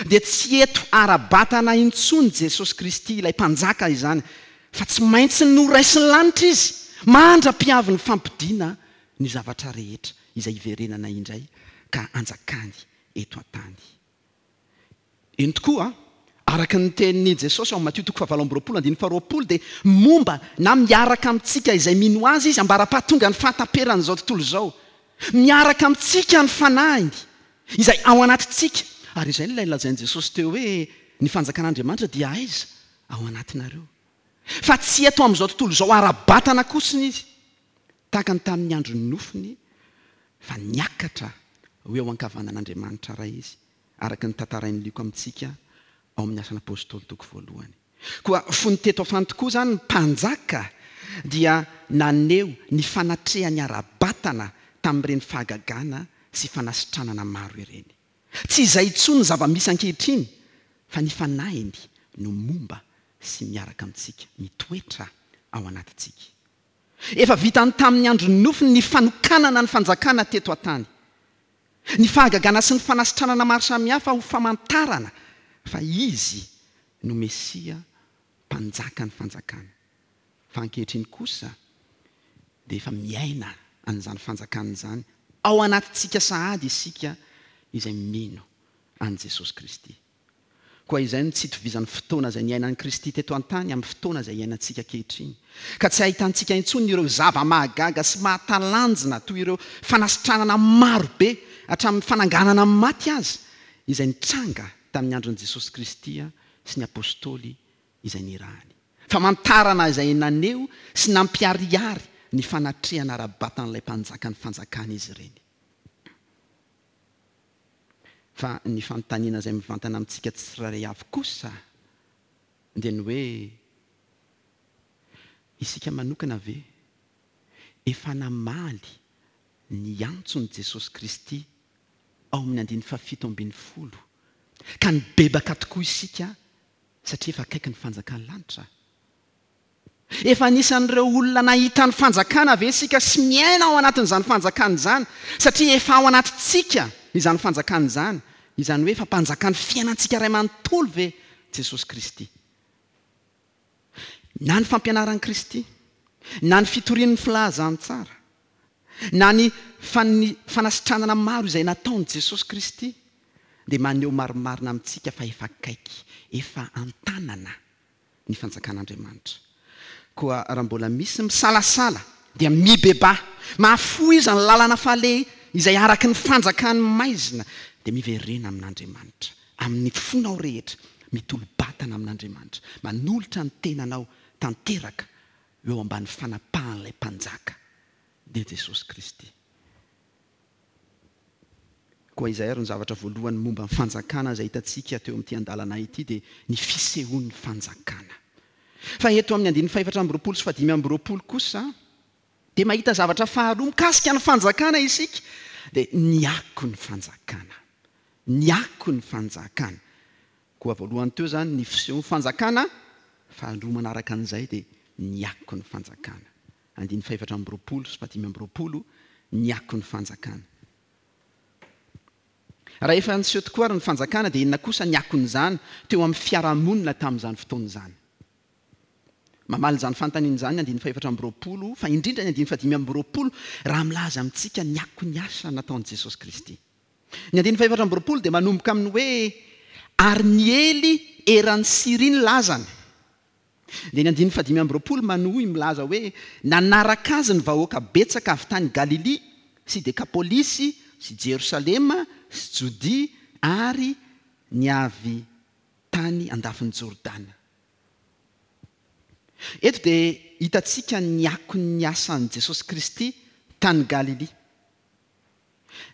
dia tsy eto ara-batana intsony Jesosy Kristy ilay Mpanjaka izany, fa tsy maintsy noraisin'ny lanitra Izy mandra-pihavin'ny fampodiana ny zavatra rehetra izay hiverenana indray ka hanjakany eto an-tany. Eny tokoa, Araka ny tenin'i Jesosy ao amin'ny Matio toko fahavalo amby 20 andininy faharoapolo dia momba na miaraka amintsika izay mino Azy Izy ambara-pahatonga ny fahataperan'izao tontolo izao. Miaraka amintsika ny Fanahiny izay ao anatintsika. Ary izay ilay lazain'i Jesosy teo hoe ny fanjakan'Andriamanitra dia aiza? Ao anatinareo. Fa tsy eto amin'izao tontolo izao ara-batana kosiny Izy, tahaka ny tamin'ny andron'ny nofony, fa niakatra ho eo ankavanan'Andriamanitra Ray Izy. araka ny tantarain'i Lioka amintsika ao amin'ny Asan'ny Apostoly toko voalohany. Koa fony teto an-tany tokoa izany ny mpanjaka dia naneho ny fanatrehany ara-batana tamin'ireny fahagagana sy fanasitranana maro ireny. Tsy izay intsony ny zava-misy ankehitriny fa ny Fanahiny no momba sy miaraka amintsika, mitoetra ao anatintsika. Efa vitany tamin'ny andron'ny nofiny ny fanokanana ny fanjakana teto an-tany. Ny fahagagana sy ny fanasitranana maro samihafa ho famantarana fa Izy no Mesia Mpanjaka ny fanjakana. Fa ankehitriny kosa dia efa miaina an'izany fanjakana izany ao anatintsika sahady isika izay mino an'i Jesosy Kristy. Koa izay no tsy itovizan'ny fotoana izay niainan'i Kristy teto an-tany amin'ny fotoana izay iainantsika ankehitriny. Ka tsy ahitantsika intsony ireo zava-mahagaga sy mahatalanjona toy ireo fanasitranana maro be hatramin'ny fananganana ny maty aza izay nitranga tamin'ny andron'i Jesosy Kristy sy ny Apostoly izay nirahany. Famantarana izay naneho sy nampiharihary ny fanatrehana ara-batan'ilay Mpanjakan'ny fanjakana izy ireny. Fa ny fanontaniana izay mivantana amintsika tsirairay avy kosa dia ny hoe, Isika manokana ve efa namaly ny antson'i Jesosy Kristy ao amin'ny andininy fahafito ambin'ny folo, ka nibebaka tokoa isika satria efa akaiky ny fanjakan'ny lanitra? Efa anisan'ireo olona nahita ny fanjakana ve isika sy miaina ao anatin'izany fanjakana izany satria efa ao anatintsika izany fanjakana izany, izany hoe efa mpanjakan'ny fiainantsika iray manontolo ve Jesosy Kristy? Na ny fampianaran'i Kristy, na ny fitoriany ny filazantsara, na ny fanasitranana maro izay nataon'i Jesosy Kristy dia maneho marimarina amintsika fa efa akaiky, efa an-tanana ny fanjakan'Andriamanitra. Koa raha mbola misy misalasala dia mibebaha, mahafoiza ny lalana faleha izay araka ny fanjakan'ny maizina, dia miverena amin'Andriamanitra amin'ny fonao rehetra, mitolo-batana amin'Andriamanitra, manolotra ny tenanao tanteraka eo ambany fanapahan'ilay Mpanjaka, dia Jesosy Kristy. Koa izay ary no zavatra voalohany momba ny fanjakana izay hitantsika teo amin'ity andalana ity dia ny fisehoan'ny fanjakana. Fa eto amin'ny andininy fahefatra amby 20 sy fahadimy amby 20 kosa dia mahita zavatra faharoa mikasika ny fanjakana isika dia ny akon'ny fanjakana. Ny akon'ny fanjakana. Koa voalohany teo izany ny fisehoan'ny fanjakana, faharoa manaraka an'izay dia ny akon'ny fanjakana. Andininy fahefatra amby 20 sy fahadimy amby 20, ny akon'ny fanjakana. Raha efa niseho tokoa ary ny fanjakana dia inona kosa ny akon'izany teo amin'ny fiarahamonina tamin'izany fotoana izany? Mamaly izany fanontaniana izany ny andininy fahefatra amby 20, fa indrindra ny andininy fahadimy amby 20 raha milaza amintsika ny akon'ny asa nataon'i Jesosy Kristy. Ny andininy fahefatra amby 20 dia manomboka amin'ny hoe ary niely eran'i Syria ny lazany. Dia ny andininy fahadimy amby 20 manohy milaza hoe, Nanaraka azy ny vahoaka betsaka avy tany Galilia sy Dekapolisy sy Jerosalema sy Jodia ary ny avy tany andafin'i Jordana. Eto dia hitantsika ny akon'ny asan'i Jesosy Kristy tany Galilia.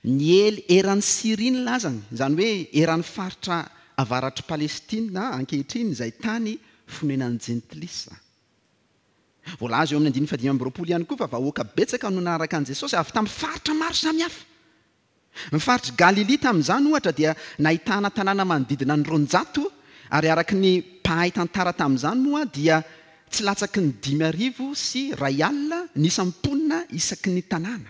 Niely eran'i Syria ny lazany, izany hoe eran'ny faritra avaratr'i Palestina ankehitriny, izay tany fonenan'ny Jentilisa. Voalaza eo amin'ny andininy fahadimy amby 20 ihany koa fa vahoaka betsaka no nanaraka an'i Jesosy avy tamin'ny faritra maro samihafa. Ny faritr'i Galilia tamin'izany, ohatra, dia nahitana tanàna manodidina ny 200, ary araka ny mpahay tantara tamin'izany moa dia tsy latsaky ny 1500 ny isan'ny mponina isaky ny tanàna.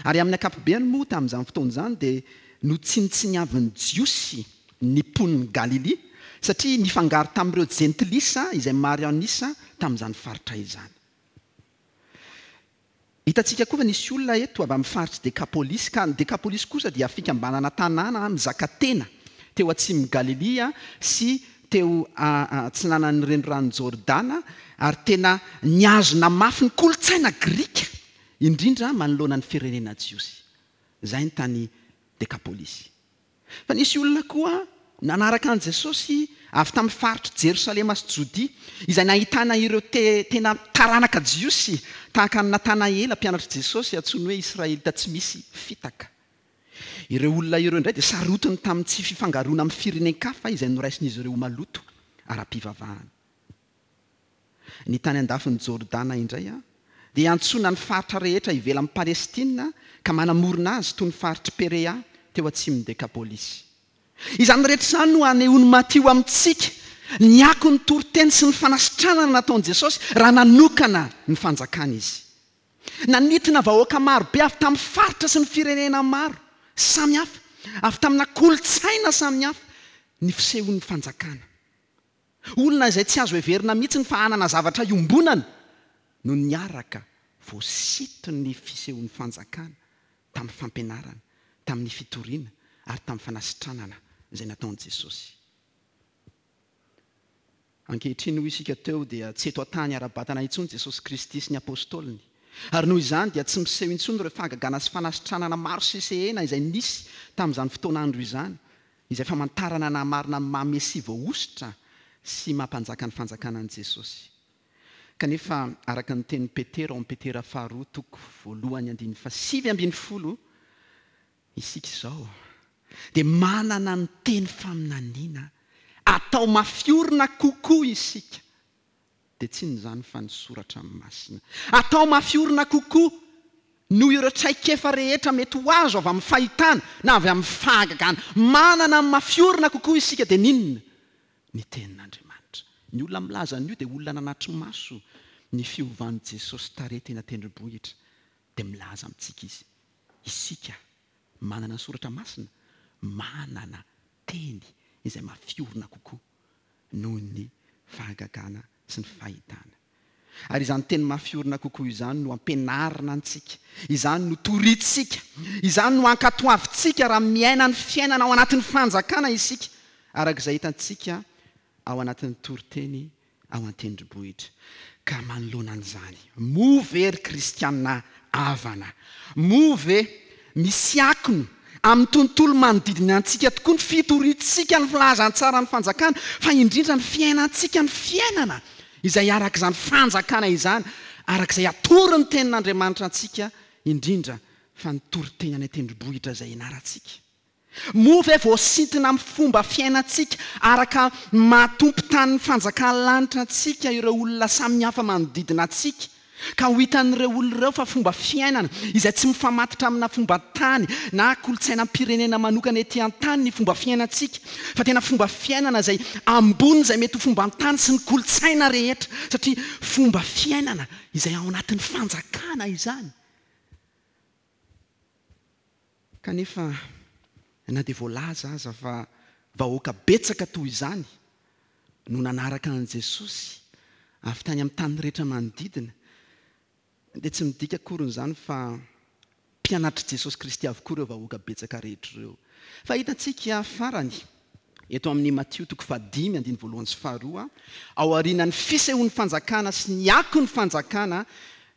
Ary amin'ny ankapobeny moa tamin'izany fotoana izany dia notsinontsiniavin'ny Jiosy ny mponin'i Galilia, satria nifangaro tamin'ireo Jentilisa izay maro an'isa tamin'izany faritra izany. Hitantsika koa fa nisy olona eto avy amin'ny faritr'i Dekapolisy, ka ny Dekapolisy kosa dia fikambanana tanàna mizaka tena teo atsimon'i Galilia sy teo atsinanan'ny Reniranon'i Jordana, ary tena nihazona mafy ny kolontsaina grika, indrindra manoloana ny firenena jiosy. Izay ny tany Dekapolisy. Fa nisy olona koa nanaraka an'i Jesosy avy tamin'ny faritr'i Jerosalema sy Jodia, izay nahitana ireo tena taranaka jiosy, tahaka an'i Natanaela, mpianatr'i Jesosy, antsoiny hoe Israelita tsy misy fitaka. Ireo olona ireo indray dia sarotiny tamin'ny tsy fifangaroana amin'ny firenen-kafa izay noraisin'izy ireo ho maloto ara-pivavahana. Ny tany andafin'i Jordana indray dia iantsoana ny faritra rehetra ivelan'i Palestina ka manamorona azy toy ny faritr'i Perea teo atsimon'i Dekapolisy. Izany rehetra izany no anehoan'i Matio amintsika ny akon'ny toriteny sy ny fanasitranana nataon'i Jesosy raha nanokana ny fanjakany izy. Nanintona vahoaka maro be avy tamin'ny faritra sy ny firenena maro samihafa, avy tamina kolontsaina samihafa ny fisehoan'ny fanjakana. Olona izay tsy azo heverina mihitsy ny fa hanana zavatra iombonana no niaraka voasiton'ny fisehoan'ny fanjakana tamin'ny fampianarana, tamin'ny fitoriana ary tamin'ny fanasitranana izay nataon'i Jesosy. Ankehitriny, hoy isika teo, dia tsy eto an-tany ara-batana intsony Jesosy Kristy sy ny Apostoliny. Ary noho izany dia tsy miseho intsony ireo fahagagana sy fanasitranana maro sesehena izay nisy tamin'izany fotoan'andro izany. Izay famantarana nahamarina ny maha Mesia voahosotra sy maha Mpanjaka ny Fanjakana an'i Jesosy. Kanefa, araka ny tenin'i Petera ao amin'ny Petera faharoa toko voalohany andininy fahasivy ambin'ny folo, isika izao dia manana ny teny faminaniana atao mafy orina kokoa isika dia tsy inona izany fa ny soratra masina. Atao mafy orina kokoa noho ireo traikefa rehetra mety ho azo avy amin'ny fahitana na avy amin'ny fahagagana. Manana ny mafy orina kokoa isika dia n'inona? Ny Tenin'Andriamanitra. Ny olona milaza an'io dia olona nanatri-maso ny fiovan'i Jesosy tarehy teny an-tendrombohitra. Dia milaza amintsika izy, isika manana ny soratra masina, manana teny izay mafy orina kokoa noho ny fahagagana sy ny fahitana. Ary izany teny mafy orina kokoa izany no ampianarina antsika, izany no torintsika, izany no ankatoavintsika raha miaina ny fiainana ao anatin'ny fanjakana isika, araka izay hitantsika ao anatin'ny toriteny ao an-tendrombohitra. Ka manoloana an'izany, moa ve ry kristiana havana, moa ve misy akony amin'ny tontolo manodidina antsika tokoa ny fitoriantsika ny filazantsaran'ny fanjakana, fa indrindra ny fiainantsika ny fiainana izay araka izany fanjakana izany, araka izay atoron'ny Tenin'Andriamanitra antsika, indrindra fa ny toriteny any an-tendrombohitra izay ianarantsika? Moa ve voasintona amin'ny fomba fiainantsika araka ny maha tompon-tanin'ny fanjakan'ny lanitra antsika ireo olona samihafa manodidina antsika, ka ho hitan'ireo olona ireo fa fomba fiainana izay tsy mifamatotra amina fomban-tany na kolontsainam-pirenena manokana ety an-tany ny fomba fiainantsika, fa tena fomba fiainana izay ambony izay mety ho fomban-tany sy ny kolontsaina rehetra, satria fomba fiainana izay ao anatin'ny fanjakana izany? Kanefa na dia voalaza aza fa vahoaka betsaka toy izany no nanaraka an'i Jesosy avy tany amin'ny tany rehetra manodidina, dia tsy midika akory izany fa mpianatr'i Jesosy Kristy avokoa ireo vahoaka betsaka rehetra ireo. Fa hitantsika farany eto amin'ny Matio toko fahadimy andininy voalohany sy faharoa, ao aorianan'ny fisehoan'ny fanjakana sy ny akon'ny fanjakana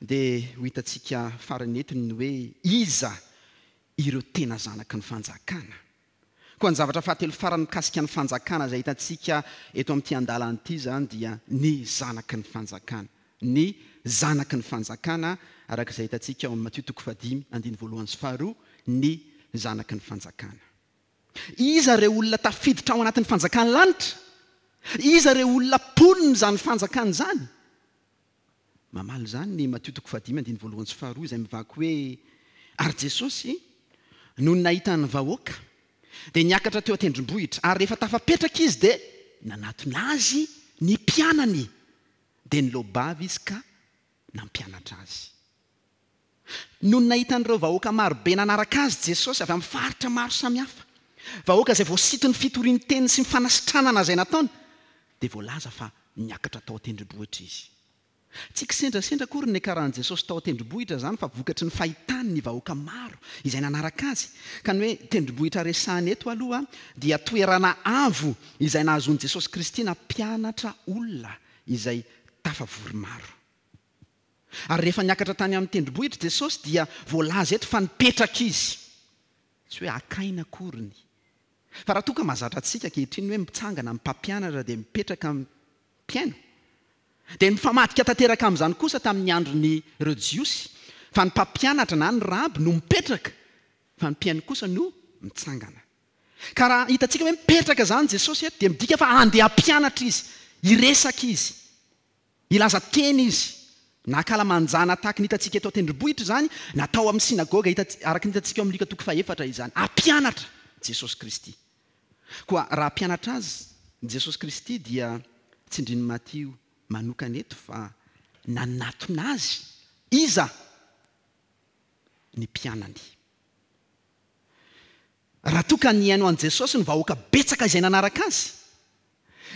dia ho hitantsika farany eto ny hoe iza ireo tena zanaky ny fanjakana. Koa ny zavatra fahatelo farany mikasika ny fanjakana izay hitantsika eto amin'ity andalana ity izany dia ny zanaky ny fanjakana. Ny zanaky ny fanjakana araka izay hitantsika ao amin'ny Matio toko fahadimy andininy voalohany sy faharoa, ny zanaky ny fanjakana. Iza ireo olona tafiditra ao anatin'ny fanjakan'ny lanitra? Iza ireo olona mponin'izany fanjakana izany? Mamaly izany ny Matio toko fahadimy andininy voalohany sy faharoa izay mivaky hoe, Ary Jesosy, nony nahita ny vahoaka, dia niakatra teo an-tendrombohitra, ary rehefa tafapetraka Izy dia nanatona Azy ny mpianany, dia niloa-bava Izy ka nampianatra azy. Nony nahita an'ireo vahoaka marobe nanaraka Azy Jesosy avy amin'ny faritra maro samihafa, vahoaka izay voasiton'ny fitorian-teny sy ny fanasitranana izay nataony, dia voalaza fa niakatra tao an-tendrombohitra Izy. Tsy kisendrasendra akory ny niakaran'i Jesosy tao an-tendrombohitra izany fa vokatry ny fahitany ny vahoaka maro izay nanaraka azy. Ka ny hoe tendrombohitra resahina eto aloha dia toerana avo izay nahazoan'i Jesosy Kristy nampianatra olona izay tafavory maro. Ary rehefa niakatra tany amin'ny tendrombohitra Jesosy dia voalaza eto fa nipetraka Izy. Tsy hoe haka aina akory ny. Fa raha toa ka mahazatra antsika ankehitriny ny hoe mitsangana ny mpampianatra dia mipetraka ny mpihaino, dia nifamadika tanteraka amin'izany kosa tamin'ny andron'ireo Jiosy, fa ny mpampianatra na ny raby no mipetraka, fa ny mpihaino kosa no mitsangana. Ka raha hitantsika hoe mipetraka izany Jesosy eto dia midika fa handeha hampianatra Izy, hiresaka Izy. Hilaza teny izy. Na ankalamanjana tahaka ny hitantsika eto an-tendrombohitra izany, na tao amin'ny synagoga hita araka ny hitantsika ao amin'ny Lioka toko fahefatra izany. Hampianatra Jesosy Kristy. Koa raha hampianatra azy Jesosy Kristy dia tsindrin'i Matio manokana eto fa nanatona azy iza? Ny mpianany. Raha toa ka nihaino an'i Jesosy ny vahoaka betsaka izay nanaraka azy,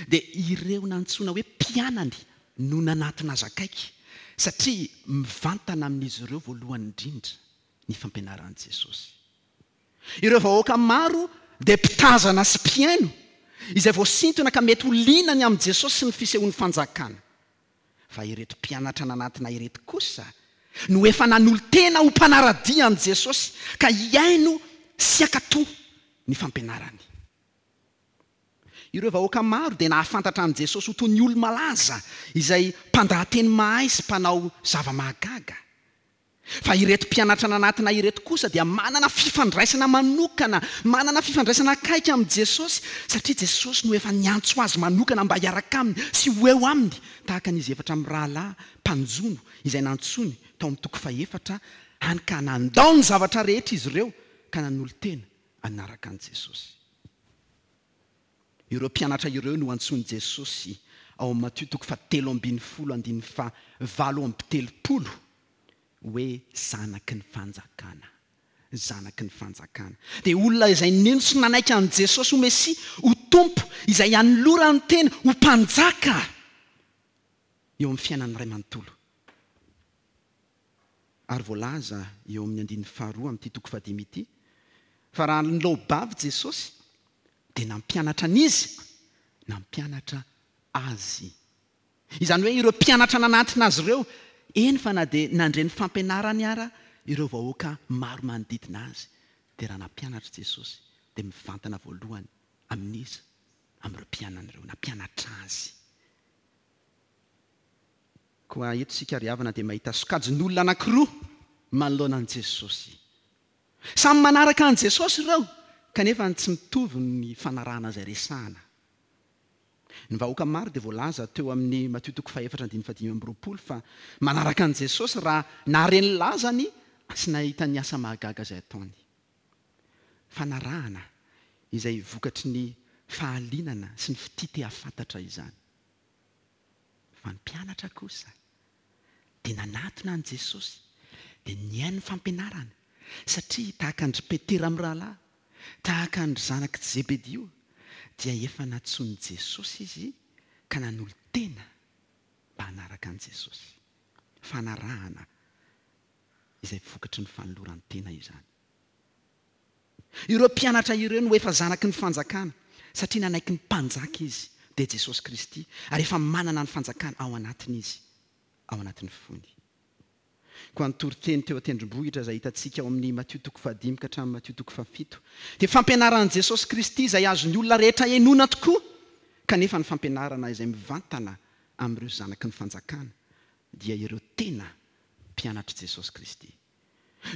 dia ireo nantsoina hoe mpianany no nanatona azy akaiky, satria mivantana amin'izy ireo voalohany indrindra ny fampianaran'i Jesosy. Ireo vahoaka maro dia mpitazana sy mpihaino, izay voasintona ka mety ho liana ny amin'i Jesosy sy ny fisehoan'ny Fanjakana. Fa ireto mpianatra nanatona ireto kosa no efa nanolo-tena ho mpanara-dia an'i Jesosy ka hihaino sy hankatò ny fampianarany. Ireo vahoaka maro dia nahafantatra an'i Jesosy ho toy ny olo-malaza izay mpandahateny mahay sy mpanao zava-mahagaga. Fa ireto mpianatra nanatona ireto kosa dia manana fifandraisana manokana, manana fifandraisana akaiky amin'i Jesosy, satria Jesosy no efa niantso azy manokana mba hiaraka aminy sy ho eo aminy, tahaka an'izy efatra mirahalahy mpanjono izay nantsoiny tao amin'ny toko fahefatra, hany ka nandao ny zavatra rehetra izy ireo ka nanolo-tena hanaraka an'i Jesosy. Ireo mpianatra ireo no antsoin'i Jesosy ao amin'ny Matio toko fahatelo ambinifolo andininy faha-38 hoe zanaky ny fanjakana. Zanaky ny fanjakana. Dia olona izay nino sy nanaiky an'i Jesosy ho Mesia, ho Tompo, izay hanolorany tena ho Mpanjaka eo amin'ny fiainany iray manontolo. Ary voalaza eo amin'ny andininy faharoa amin'ity toko fahadimy ity fa raha nilaobavy Jesosy dia nampianatra an'iza? Nampianatra azy. Izany hoe ireo mpianatra nanatona azy ireo, eny fa na dia nandre ny fampianarany ara ireo vahoaka maro manodidina azy, dia raha nampianatra Jesosy dia mivantana voalohany amin'iza? Amin'ireo mpianany ireo, nampianatra azy. Koa eto isika ry havana dia mahita sokajin'olona anankiroa manoloana an'i Jesosy. Samy manaraka an'i Jesosy ireo, kanefa tsy mitovy ny fanarahana izay resahana. Ny vahoaka maro dia voalaza teo amin'ny Matio toko fahefatra andininy fahadimy amby roapolo fa manaraka an'i Jesosy raha nahare ny lazany sy nahita ny asa mahagaga izay ataony. Fanarahana izay vokatry ny fahalinana sy ny fitia te hahafantatra izany. Fa ny mpianatra kosa dia nanatona an'i Jesosy, dia nihaino ny fampianarany, satria tahaka an-dry Petera mirahalahy, tahaka an-dry zanak'i Zebedio, dia efa nantsoin'i Jesosy izy ka nanolo-tena mba hanaraka an'i Jesosy. Fanarahana izay vokatry ny fanoloran-tena izany. Ireo mpianatra ireo no efa zanaky ny fanjakana, satria nanaiky ny Mpanjaka izy, dia Jesosy Kristy, ary efa manana ny fanjakana ao anatiny izy, ao anatin'ny fony. Koa ny toriteny teo an-tendrombohitra izay hitantsika ao amin'ny Matio toko fahadimy ka hatramin'ny Matio toko fahafito, dia fampianaran'i Jesosy Kristy izay azon'ny olona rehetra henoina tokoa, kanefa ny fampianarana izay mivantana amin'ireo zanaky ny fanjakana, dia ireo tena mpianatr'i Jesosy Kristy.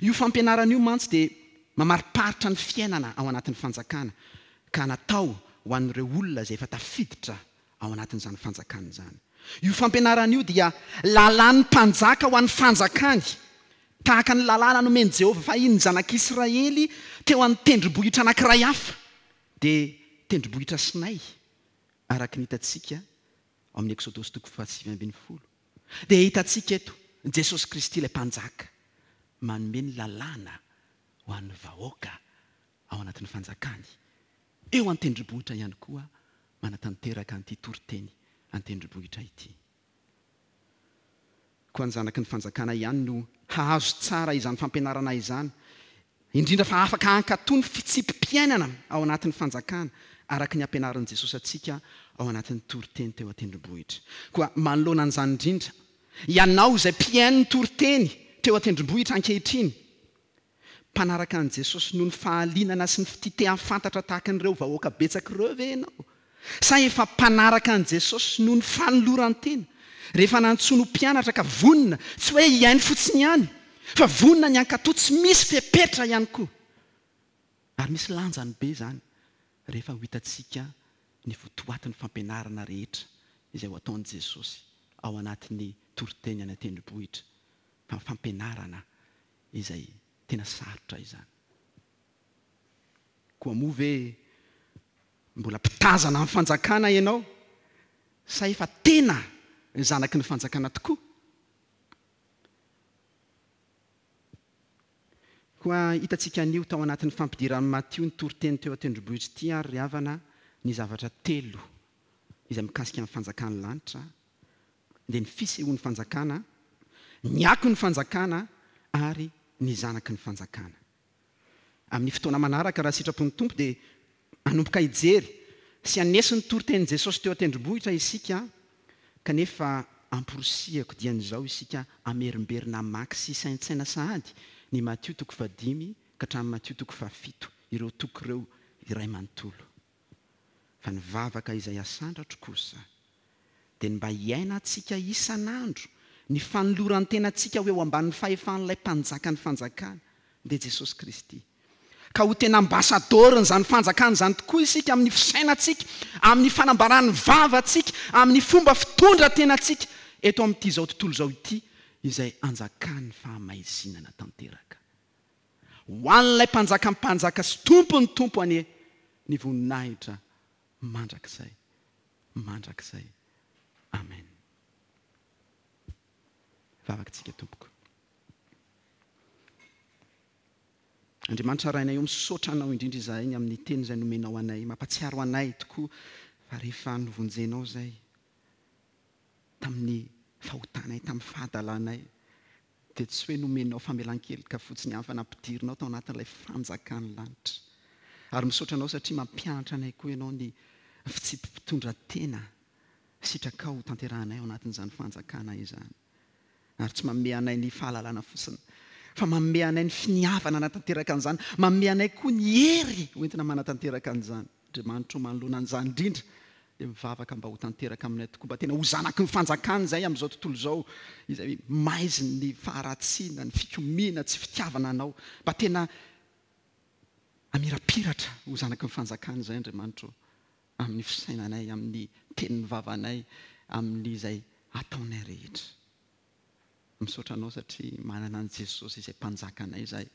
Io fampianarana io mantsy dia mamariparitra ny fiainana ao anatin'ny fanjakana ka natao ho an'ireo olona izay efa tafiditra ao anatin'izany fanjakana izany. Io fampianarana io dia lalàn'ny mpanjaka ho an'ny fanjakany, tahaka ny lalàna nomen'i Jehovah fahiny ny zanak'Israely teo an-tendrombohitra anankiray hafa, dia tendrombohitra Sinay, araka ny hitantsika ao amin'ny Eksodosy toko fahasivy ambinifolo. Dia hitantsika eto Jesosy Kristy ilay Mpanjaka manome ny lalàna ho an'ny vahoaka ao anatin'ny fanjakany, eo an-tendrombohitra ihany koa manatanteraka an'ity toriteny an-tendrombohitra ity. Koa ny zanaky ny fanjakana ihany no hahazo tsara izany fampianarana izany, indrindra fa afaka hankatò ny fitsipi-piainana ao anatin'ny fanjakana, araka ny ampianarin'i Jesosy antsika ao anatin'ny toriteny teo an-tendrombohitra. Koa manoloana an'izany indrindra, ianao izay mpihaino ny toriteny teo an-tendrombohitra ankehitriny, Mpanaraka an'i Jesosy noho ny fahalianana sy ny fitia te hahafantatra tahaka an'ireo vahoaka betsaka ireo ve ianao? Sa efa mpanaraka an'i Jesosy noho ny fanoloran-tena, rehefa nantsoiny ho mpianatra ka vonona, tsy hoe hihaino fotsiny ihany, fa vonona ny hankatò tsy misy fepetra ihany koa? Ary misy lanjany be izany rehefa ho hitantsika ny votoatin'ny fampianarana rehetra izay ho ataon'i Jesosy ao anatin'ny toriteny any an-tendrombohitra, fa ny fampianarana izay tena sarotra izany. Koa moa ve mbola mpitazana ny fanjakana ianao sa efa tena zanaky ny fanjakana tokoa? Koa hitantsika anio tao anatin'ny fampidiran'i Matio ny toriteny teo an-tendrombohitra ity ary ry havana ny zavatra telo izay mikasika ny fanjakan'ny lanitra dia ny fisehoan'ny fanjakana, ny akon'ny fanjakana ary ny zanaky ny fanjakana. Amin'ny fotoana manaraka, raha sitrapon'ny Tompo, dia hanomboka hijery sy haneso ny toritenin'i Jesosy teo an-tendrombohitra isika, kanefa amporisihako dian'izao isika hamerimberina hamaky sy hisaintsaina sahady ny Matio toko fahadimy ka hatramin'ny Matio toko fahafito, ireo toko ireo iray manontolo. Fa ny vavaka izay asandratro kosa dia ny mba hiainantsika isan'andro ny fanoloran-tenantsika ho eo ambanin'ny fahefan'ilay Mpanjakan'ny fanjakana, dia Jesosy Kristy. Ka ho tena ambasadaorin'izany fanjakana izany tokoa isika amin'ny fisainantsika, amin'ny fanambaran'ny vavantsika, amin'ny fomba fitondran-tenantsika eto amin'ity izao tontolo izao ity izay anjakan'ny fahamaizinana tanteraka. Ho an'ilay Mpanjakan'ny mpanjaka sy Tompon'ny tompo anie ny voninahitra mandrakizay mandrakizay. Amen. Vavaka tsika tompoko. Andriamanitra Rainay o misaotra Anao indrindra izahay ny amin'ny teny izay nomenao anay. Mampatsiaro anay tokoa fa rehefa novonjenao izay tamin'ny fahotanay, tamin'ny fahadalanay, dia tsy hoe nomenao famelan-keloka fotsiny ihany fa nampidirinao tao anatin'ilay fanjakan'ny lanitra. Ary misaotra anao satria mampianatra anay koa ianao ny fitsipi-pitondran-tena sitrakao ho tanterahanay ao anatin'izany fanjakana izany. Ary tsy manome anay ny fahalalana fotsiny fa manome anay ny finiavana hanatanteraka an'izany, manome anay koa ny hery hoentina manatanteraka an'izany. Andriamanitra o manoloana an'izany indrindra dia mivavaka mba ho tanteraka aminay tokoa, mba tena ho zanaky ny fanjakana izay amin'izao tontolo izao, izay maizin'ny faharatsiana, ny fikomiana, tsy fitiavana Anao, mba tena hamirapiratra ho zanaky ny fanjakana izay Andriamanitra o, amin'ny fisainanay, amin'ny tenin'ny vavanay, amin'izay ataonay rehetra. Misaotra Anao satria manana an'i Jesosy izay Mpanjakanay izahay,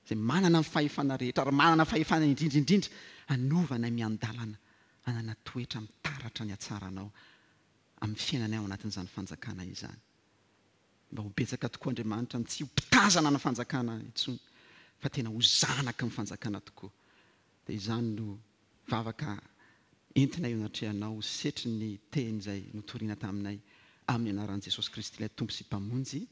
izay manana ny fahefana rehetra ary manana fahefana indrindra indrindra hanova anay miandalana hanana toetra mitaratra ny hatsaranao amin'ny fiainanay ao anatin'izany fanjakana izany. Mba ho betsaka tokoa Andriamanitra ny tsy ho mpitazana ny fanjakana intsony fa tena ho zanaky ny fanjakana tokoa. Dia izany no vavaka entina eo anatrehanao ho setrin'ny teny izay notorina taminay amin'ny anaran'i Jesosy Kristy ilay Tompo sy Mpamonjy.